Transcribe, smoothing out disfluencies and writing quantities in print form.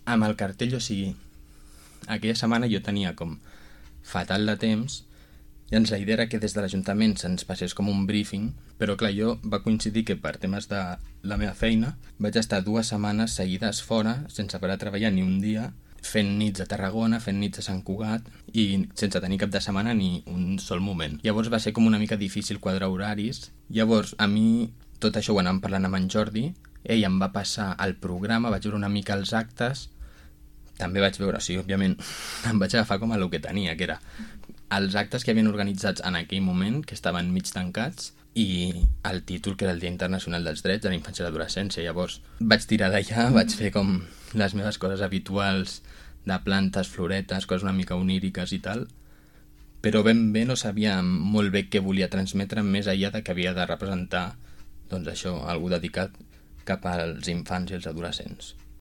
amb el cartell, o sigui, aquella setmana jo tenia com fatal de temps i la idea era que des de l'Ajuntament se'ns passés com un briefing, però clar, jo va coincidir que per temes de la meva feina vaig estar 2 setmanes seguides fora, sense parar a treballar ni un dia, fent nits a Tarragona, fent nits a Sant Cugat i sense tenir cap de setmana ni un sol moment. Llavors va ser com una mica difícil quadrar horaris. Llavors a mi tot això ho anàvem parlant amb en Jordi, ell em va passar el programa, vaig veure una mica els actes, també vaig veure, sí, òbviament, em vaig agafar com a el que tenia, que era els actes que havien organitzats en aquell moment, que estaven mig tancats, i el títol, que era el Dia Internacional dels Drets de la Infància i l'Adolescència. Llavors vaig tirar d'allà, vaig fer com les meves coses habituals de plantes, floretes, coses una mica oníriques i tal, però ben bé no sabia molt bé què volia transmetre, més enllà de que havia de representar, doncs això, algú dedicat cap als infants i els adolescents.